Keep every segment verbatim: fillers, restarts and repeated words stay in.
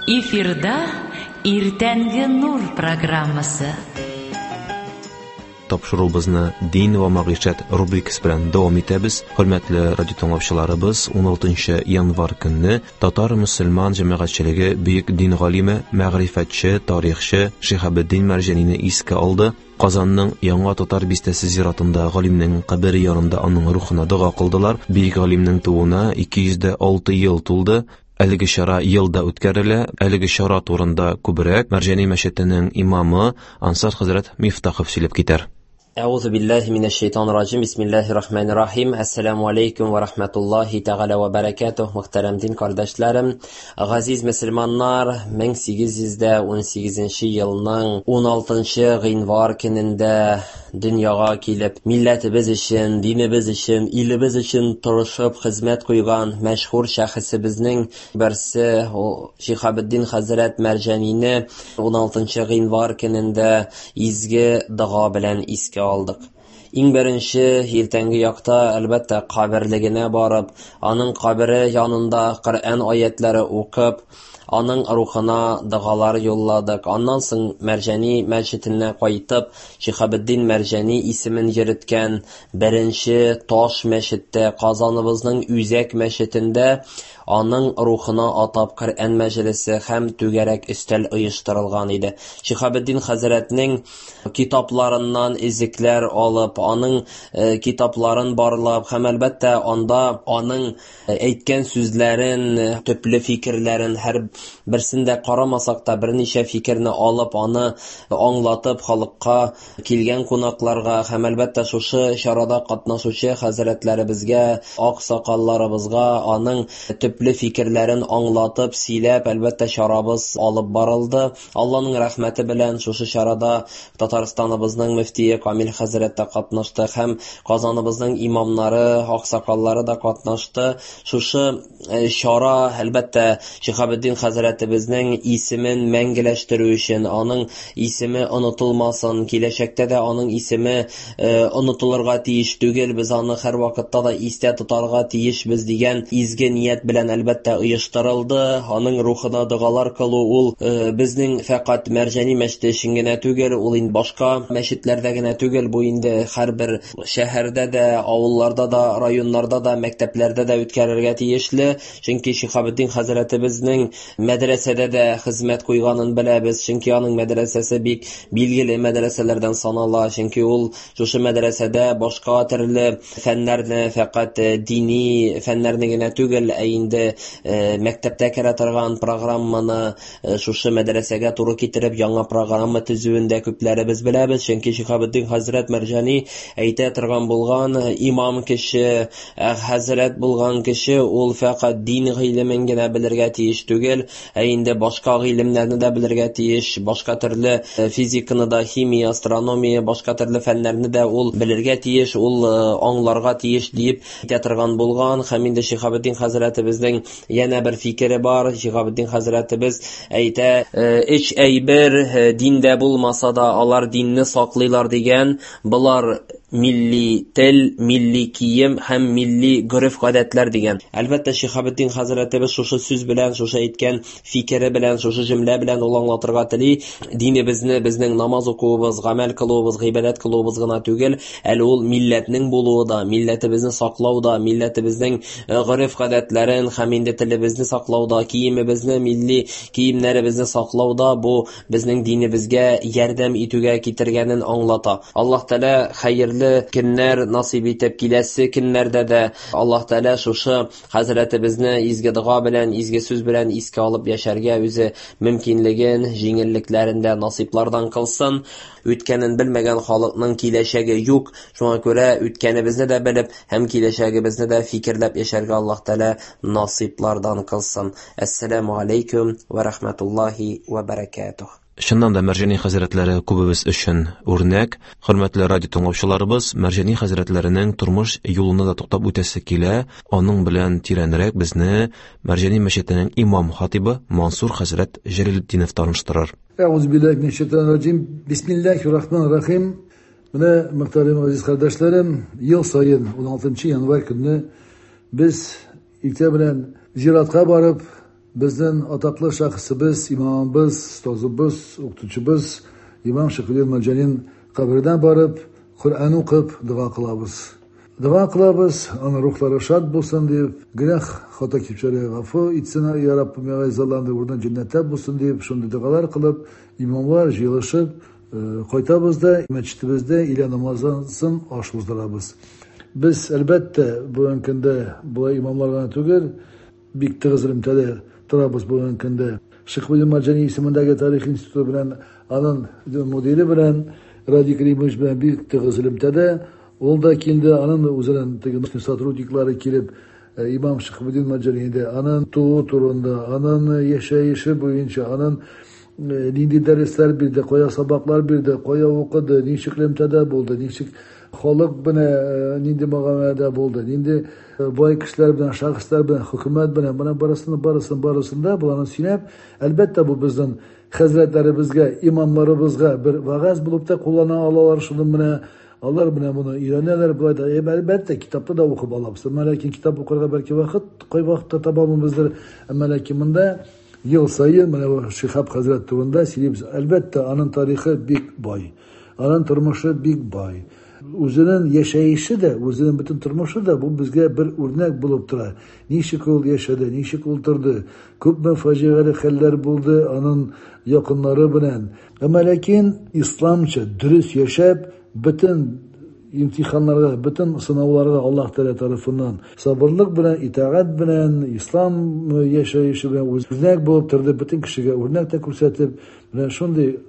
Эфирда Иртәнге нур программасы. Тапшыруыбызны Дин вә мәгыйшәт рубрикасы белән дәвам итәбез. Хөрмәтле радио тыңлаучыларыбыз, уналтынчы январь көнне татар мөселман җәмәгатьчелеге бөек дин галиме, мәгърифәтче, тарихчы Шиһабетдин Мәрҗанине искә алды. Казанның Яңа Татар бистәсе зиратында галимнең кабере янында аның рухына дога кылдылар. Бөек галимнең тууына ике йөз дә алты ел тулды. Әлеге чара елда үткәрелә. Әлеге чара турында күбрәк Мәрҗани мәчетенең имамы Ансар хәзрәт Мифтахов сөйләп китәр. Әгъузу биллаһи минәш шайтанир раҗим. Бисмиллаһир рахманир рахим. Ассаламу алейкум ва рахматуллаһи тәгалә ва баракатуһ. Мөхтәрәм дин кардәшләрем, газиз мөселманнар, мең сигез йөз дә ун сигезенче елның уналтынчы гыйнвар көнендә дөньяга килеп, милләтебез өчен, динебез өчен, илебез өчен тырышып хезмәт куйган мәшһүр шәхесебезнең берсе ул Шиһабетдин хәзрәт Мәрҗанине уналтынчы гыйнвар көнендә изге дога белән искә алдык. Иң беренче иртәнге якта, әлбәттә, каберлегенә барып, аның кабере янында Коръән аятлары укып, аның рухына догалар юлладык. Аннан соң Мәрҗани мәчетенә кайтып, Шиһабетдин Мәрҗани исемен йөрткән беренче таш мәчеттә, Казаныбызның үзәк мәчетендә аның рухына атап Коръән мәҗлесе һәм түгәрәк өстәл оештырылган иде. Шиһабетдин хәзрәтнең китапларыннан изекләр алып, аның, э, китапларын барлап һәм әлбәттә анда аның әйткән сүзләрен, төпле фикерләрен һәр берсен дә карамасак та берничә фикерне алып, аны аңлатып халыкка, килгән кунакларга һәм әлбәттә шушы чарада катнашучы хәзрәтләребезгә, аксакалларыбызга аның төпле фикерләрен аңлатып, сөйләп, әлбәттә чарабыз алып барылды. Алланың рәхмәте белән шушы чарада Татарстаныбызның мөфтие Камил хәзрәт тә катнашты һәм Казаныбызның имамнары, аксакаллары да катнашты. Шушы, э, чара әлбәттә Шиһабетдин хәзрәтебезнең исемен мәңгеләштерү өчен, аның исеме онытылмасын, киләчәктә дә аның исеме, э, онытылырга тиеш түгел, без аны һәр вакытта да истә тотарга тиешбез дигән изге ният белән әлбәттә оештырылды. Аның рухына догалар кылу ул, э, безнең фәкать Мәрҗани мәчете өчен генә түгел, ул инде башка мәчетләрдә генә түгел, бу инде һәрбер шәһәрдә дә, авылларда да, районнарда да, мәктәпләрдә дә үткәрергә тиешле. Чөнки Шиһабетдин хәзрәтебезнең мәдрәсәдә дә хезмәт куйганын беләбез, чөнки аның мәдрәсәсе бик билгеле мәдрәсәләрдән санала, чөнки ул шушы мәдрәсәдә башка төрле фәннәрне, фәкать дини фәннәрне генә түгел, ә инде, э, мәктәптә керә торган программаны, э, шушы мәдрәсәгә туры китереп яңа программа төзүен дә күпләребез беләбез, чөнки Шиһабетдин хәзрәт Мәрҗани әйтә торган булган, имам кеше, э, хәзрәт булган кеше ул фәкать дин гыйлемен генә белергә тиеш түгел, ә инде башка гыйлемнәрне дә белергә тиеш, башка төрле, э, физиканы да, химия, астрономия, башка төрле фәннәрне дә ул белергә тиеш, ул, э, аңларга тиеш дип әйтә торган булган. Һәм инде Шиһабетдин хәзрәтебезнең янә бер фикере бар. Шиһабетдин хәзрәтебез әйтә, э, өч әйбер, э, диндә булмаса да алар динне саклыйлар дигән. Болар милли тел, милли кием һәм милли гореф-гадәтләр дигән. Әлбәттә, Шиһабетдин хәзрәтебез шушы сүз белән, шушы әйткән фикере белән, шушы җөмлә белән ул аңлатырга тели. Динебезне, безнең намаз укуыбыз, гамәл кылуыбыз, гыйбадәт кылуыбыз гына түгел, әле ул милләтнең булуы да, милләтебезне саклау да, милләтебезнең, э, гореф-гадәтләрен һәм инде телебезне саклау да, киемебезне, милли киемнәребезне саклау да бу безнең динебезгә ярдәм итүгә китергәнен аңлата. Аллаһ Тәгалә хәерле көннәр насыйп итеп, киләсе көннәрдә дә Аллаһ Тәгалә шушы хәзрәтебезне изге дога белән, изге сүз белән искә алып яшәргә үзе мөмкинлеген, җиңеллекләрен дә насыйплардан кылсын. Үткәнен белмәгән халыкның киләчәге юк. Шуңа күрә үткәнебезне дә белеп һәм киләчәгебезне дә фикерләп яшәргә Аллаһ Тәгалә насыйплардан кылсын. Әссәламү алейкум ва рахматуллаһи ва баракатуһ. Чыннан да Мәрҗани хәзрәтләре күбебез өчен үрнәк. Хөрмәтле радио тыңлаучыларыбыз, Мәрҗани хәзрәтләренең тормыш юлына да туктап үтәсе килә. Аның белән тирәнрәк безне Мәрҗани мәчетенең имам хатибы Мансур хәзрәт Җәләлетдинов таныштырыр. Әгъузу биллаһи минәш шайтанир раҗим. Бисмиллаһир рахманир рахим. Менә, мөхтәрәм газиз кардәшләрем, ел саен уналтынчы январь көнне без иртә белән зиратка барып, Безнең атаклы шәхесебез, имамыбыз, остазыбыз, укытучыбыз имам Шиһабетдин Мәрҗанин каберенә барып, Коръән укып, дога кылабыз. Дога кылабыз, аның рухлары шат булсын дип, гөнаһ хата кичерә гафу итсен, я Раббым, я Газалланды, урыны җәннәттә булсын дип, шундый догалар кылып, имамлар җыелышып, кайтабыз да мәчетебездә илә намазын соң аш уздырабыз. Без, әлбәттә, бүгенге көндә болай имамлар гына түгел, бик тыгыз элемтәдә торабыз бүгенге көндә. Шиһабетдин Мәрҗани исемендәге тарих институты белән, аның мөдире белән, Радик Римович белән бик тыгыз элемтәдә. Ул да килде, аның үзенең теге сотрудниклары килеп, имам Шиһабетдин Мәрҗанидә, аның туу турында, аның яшәеше буенча, аның нинди дәресләр бирде, кая сабаклар бирде, кая укыды, ничек элемтәдә булды, ничек халык белән нинди мөгамәләдә булды, нинди бай кешеләр белән, шәхесләр белән, хөкүмәт белән, моның барысын, барысын, барысын да буланы сөйләп, әлбәттә, бу безнең хәзрәтләребезгә, имамларыбызга бер вәгазь булып та куллана алалар, шуны менә алар менә моны өйрәнәләр, болай да, әлбәттә, китапта да укып алабыз. Әмма ләкин китап укырга бәлки вакыт, кай вакытта таба алмыйбыздыр. Әмма ләкин монда ел саен менә бу Шиһаб хәзрәт турында сөйлибез. Әлбәттә, аның тарихы бик бай, аның тормышы бик бай. Үзенең яшәеше дә, үзенең бөтен тормышы да бу безгә бер үрнәк булып тора. Ничек ул яшәде, ничек ул торды, күпме фаҗигале хәлләр булды аның якыннары белән. Әмма ләкин исламча дөрес яшәп, бөтен имтиханнарга, бөтен сынауларга Аллаһ Тәгалә тарафыннан сабырлык белән, итагать белән, ислам яшәеше белән үрнәк булып торды, бөтен кешегә үрнәк тә күрсәтеп, менә шундый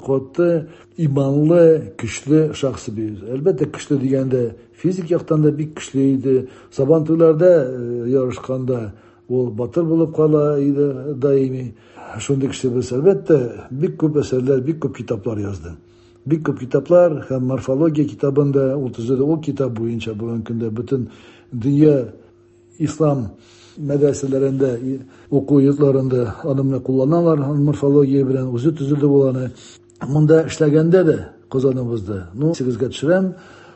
каты, иманлы, көчле шәхес бит. Әлбәттә, көчле дигәндә физик яктан да бик көчле иде. Сабантуйларда ярышканда ул батыр булып кала иде даими. Шундый кеше без, әлбәттә, бик күп әсәрләр, бик күп китаплар язды. Бик күп китаплар һәм морфология китабында ул төзеде. Ул китап буенча бүгенге көндә бөтен дөнья ислам мәдрәсәләрендә, уку йортларында аны менә кулланалар, морфология белән үзе төзелде ул аны. Монда эшләгәндә дә Казаныбызда, ну, исегезгә төшерәм,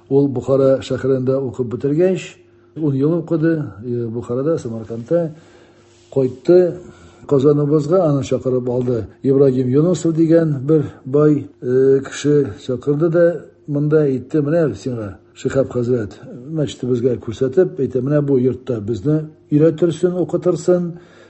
ул Бухара шәһәрендә укып бетергәч, ун ел укыды Бухарада, Самаркандта, кайтты Казаныбызга, аны чакырып алды Ибрагим Юнусов дигән бер бай кеше чакырды да, монда әйтте, менә сиңа Шиһаб хәзрәт мәчетебезгә күрсәтеп, әйтә, менә бу йортта безне өйрәтерсең, укытырсың,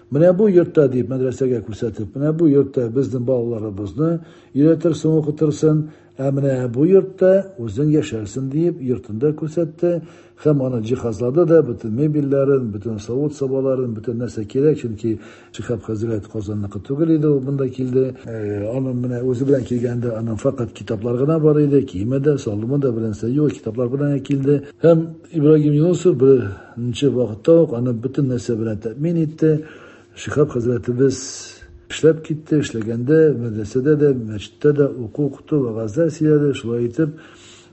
менә бу йортта дип мәдрәсәгә күрсәтеп, менә бу йортта безнең балаларыбызны өйрәтерсең, укытырсың, ә менә бу йортта үзең яшәрсең дип йортында күрсәтте һәм аны җиһазлады да, бөтен мебельләрен, бөтен савыт-сабаларын, бөтен нәрсә кирәк, чөнки Шиһаб хәзрәт Казанныкы түгел иде, ул монда килде. Аның менә үзе белән килгәндә аның факат китаплар гына бар иде, киеме дә, салымы да белән юк, китаплар белән килде. Һәм Ибрагим Юнусов беренче вакытта ук аны бөтен нәрсә белән тәэмин итте. Шиһаб хәзрәтебез эшләп китте, эшләгәндә мәдрәсәдә дә, мәчеттә дә уку укыту, вәгазьләр сөйләде, шулай итеп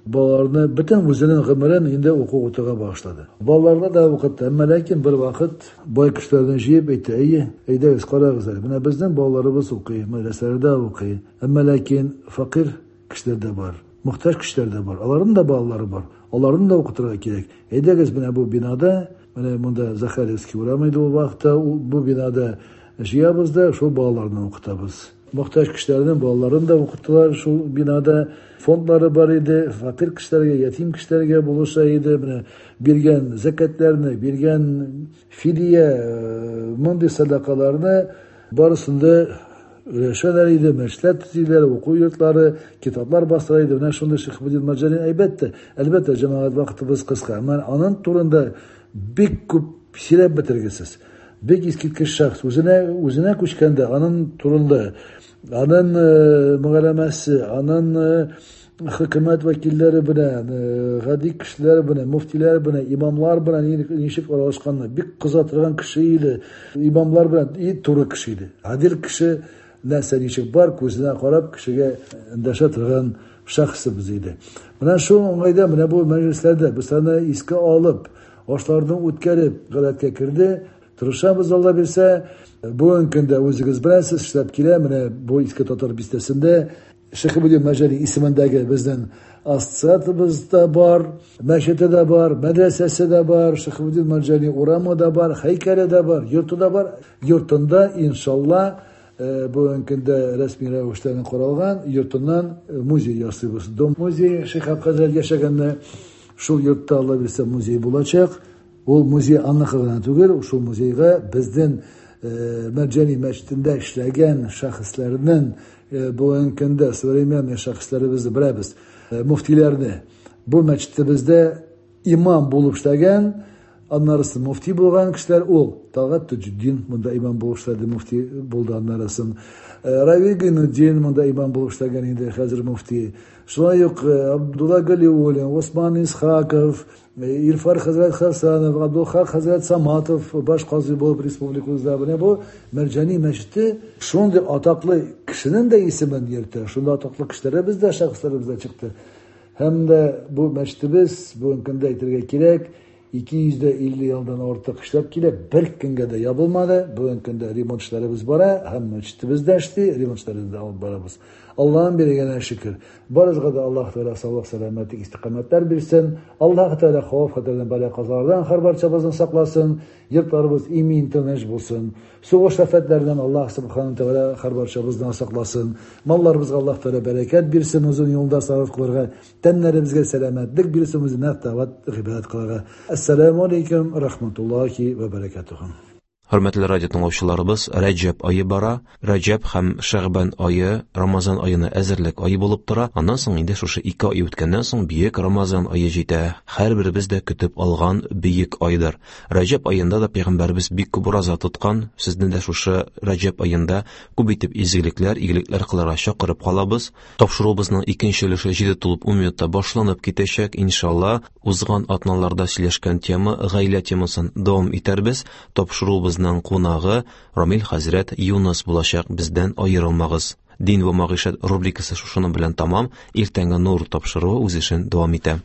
балаларны бөтен үзенең гомерен инде уку укытуга багышлады. Балаларны да укытты, әмма ләкин бер вакыт бай кешеләрне җыеп әйтте, әйе, әйдәгез, карагыз әле, менә безнең балаларыбыз укый, мәдрәсәләрдә укый, әмма ләкин фәкыйрь кешеләр дә бар, мохтаҗ кешеләр дә бар, аларның да балалары бар, аларны да укытырга кирәк. Әйдәгез, менә бу бинада, менә монда Захаревский урамы иде ул вакытта, бу бинада җыябыз да шул балаларны укытабыз. Мохтаҗ кешеләрнең балаларын да укыттылар шул бинада. Фондлары бар иде, фәкыйрь кешеләргә, ятим кешеләргә булыша иде. Менә биргән закатларны, биргән фидия, мондый садакаларны барысын да өләшәләр иде, мәчетләр төзиләр, уку йортлары, китаплар бастыра иде. Менә шундый Шиһабетдин Мәрҗани, әлбәттә, әлбәттә, җәмәгать, вакытыбыз кыска. Әмма аның турында бик күп сөйләп бетергесез. Бик искиткеч шәхес. Үзенә, үзенә күчкәндә аның турында, аның мөгаләмәсе, аның хөкүмәт вәкилләре белән, гади кешеләр белән, мөфтиләр белән, имамлар белән ничек аралашканны бик кыза торган кеше иде. Имамлар белән и туры кеше иде. Гадел кеше, нәрсә ничек бар, күзенә карап кешегә эндәшә торган шәхесебез иде. Менә шул уңайда, менә бу мәҗлесләрдә без аны искә алып, ашларны үткәреп, гадәткә керде. Тырышабыз, Алла бирсә. Бүгенге көндә үзегез беләсез, эшләп килә. Менә бу Иске Татар бистәсендә Шиһабетдин Мәрҗани исемендәге безнең ассоциациябез дә бар, мәчете дә бар, мәдрәсәсе дә бар, Шиһабетдин Мәрҗани урамы да бар, һәйкәле дә бар, йорты да бар. Йортында иншалла бүгенге көндә рәсми рәвештә каралган йортыннан музей ясыйбыз. Дом музей Шиһаб хәзрәт яшәгәндә шул йортта Алла бирсә музей булачак. Ул музей анныкы гына түгел, шул музейга безнең Мәрҗани мәчетендә эшләгән шәхесләрнең бүгенге көндә современный шәхесләребезне беләбез, муфтиләрне. Бу мәчетебездә имам булып эшләгән, аннарысы муфти булган кешеләр ул Талгат Таҗетдин монда имам булып эшләде, муфти булды аннарысын. Равил Гайнутдин монда имам булып эшләгән инде, хәзер муфти. Шулай ук Абдулла Галиуллин, Осман Исхаков, Ирфар хәзрәт Хасанов, Абдулхак хәзрәт Саматов баш казый булып республикабызда. Менә бу Мәрҗани мәчете шундый атаклы кешенең дә исемен йөртә. Шундый атаклы кешеләребез дә, шәхесләребез дә чыкты. Һәм дә бу мәчетебез бүгенге көндә әйтергә кирәк, ике йөз дә илле елдан артык эшләп килә, бер көнгә дә ябылмады. Бүгенге көндә ремонт эшләребез бара, һәм мәчетебез дә эшли, ремонт эшләрен дә алып барабыз. Аллаһның биргәненә шөкер. Барыбызга да Аллаһ Тәгалә саулык, сәламәтлек, истиқамәтләр бирсен. Аллаһ Тәгалә хәвеф-хәтәрдән, бәла-казалардан һәр барчабызны сакласын. Йортларыбыз имин, тыныч булсын. Сугыш афәтләреннән Аллаһ Субхану Тәгалә һәр барчабызны сакласын. Малларыбызга Аллаһ Тәгалә бәрәкәт бирсен, озын юлда сарыф кылырга, тәннәребезгә сәламәтлек бирсен, үзенә тават гыйбадәт кылырга. Ассаламу алейкум рахматуллахи ва баракатуху. Хөрмәтле радио тыңлаучыларыбыз, Рәҗәб ае бара. Рәҗәб һәм Шәгъбан ае Рамазан аена әзерлек ае булып тора. Аннан соң инде шушы ике ай үткәннән соң бөек Рамазан ае җитә. Һәрберебез дә көтеп алган бөек айдыр. Рәҗәб аенда да пәйгамбәребез бик күп ураза тоткан. Сезне дә шушы Рәҗәб аенда күп итеп изгелекләр, игелекләр кылырга чакырып калабыз. Тапшыруыбызның икенче өлеше җиде тулып ун минутта башланып китәчәк. Иншалла, узган атналарда сөйләшкән тема, гаилә темасын дәвам итәрбез. Тапшыруыбыз кунагы Рамил хәзрәт Юныс булачак, бездән аерылмагыз. Дин ва мәгыйшәт рубрикасы шушының белән тамам. Иртәнге нур тапшыруы үз эшен дәвам итә.